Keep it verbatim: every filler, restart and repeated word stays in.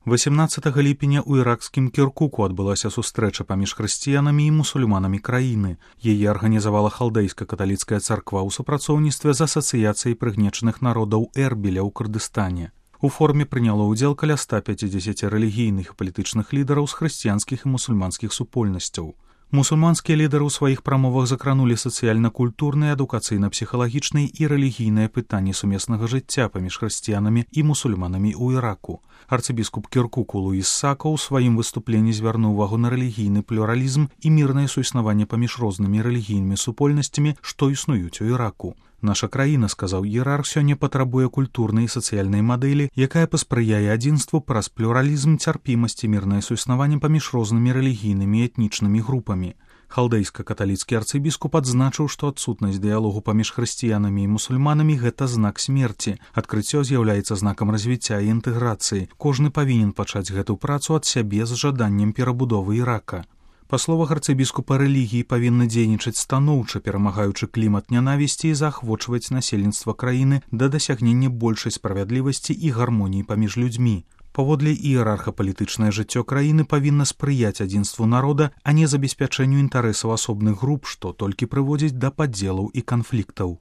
васямнаццатага ліпеня ў іракскім Кіркуку адбылася сустрэча паміж хрысціянамі і мусульманамі краіны. Яе арганізавала халдейска-каталіцкая царква ў супрацоўніцтве з асацыяцыяй прыгнечаных народаў Эрбіля ў Курдыстане. У форуме прыняло ўдзел каля ста пяцідзесяці рэлігійных і палітычных лідараў з хрысціянскіх і мусульманскіх супольнасцяў. Мусульманскія лідары ў сваіх прамовах закранулі сацыяльна-культурныя, адукацыйна-псіхалагічныя і рэлігійныя пытанні сумеснага жыцця паміж хрысціянамі і мусульманамі ў Іраку. Арцыбіскуп Кіркуку Луіс Сака ў сваім выступленні звярнуў увагу на рэлігійны плюралізм і мірнае суіснаванне паміж рознымі рэлігійнымі супольнасцямі, што існуюць у Іраку. Наша краіна, сказаў іерарх, сёння патрабуе культурнай і сацыяльнай мадэлі, якая паспрыяе адзінству праз плюралізм, цярпімасць і мірнае суіснаванне паміж рознымі рэлігійнымі і этнічнымі групамі. Халдейска-каталіцкі арцыбіскуп адзначыў, што адсутнасць дыялогу паміж хрысціянамі і мусульманамі – гэта знак смерці. Адкрыццё з'яўляецца знакам развіцця і інтэграцыі. Кожны павінен пачаць гэту працу ад сябе з жаданнем перабудовы Ірака. Па словах арцыбіскупа, рэлігіі павінны дзейнічаць станоўча, перамагаючы клімат нянавісці і заахвочваць насельніцтва краіны да дасягнення большай справядлівасці і гармоніі паміж людзьмі. Паводле іерарха, палітычнае жыццё краіны павінна спрыяць адзінству народа, а не забеспячэнню інтарэсаў асобных груп, што толькі прыводзіць да падзелаў і канфліктаў.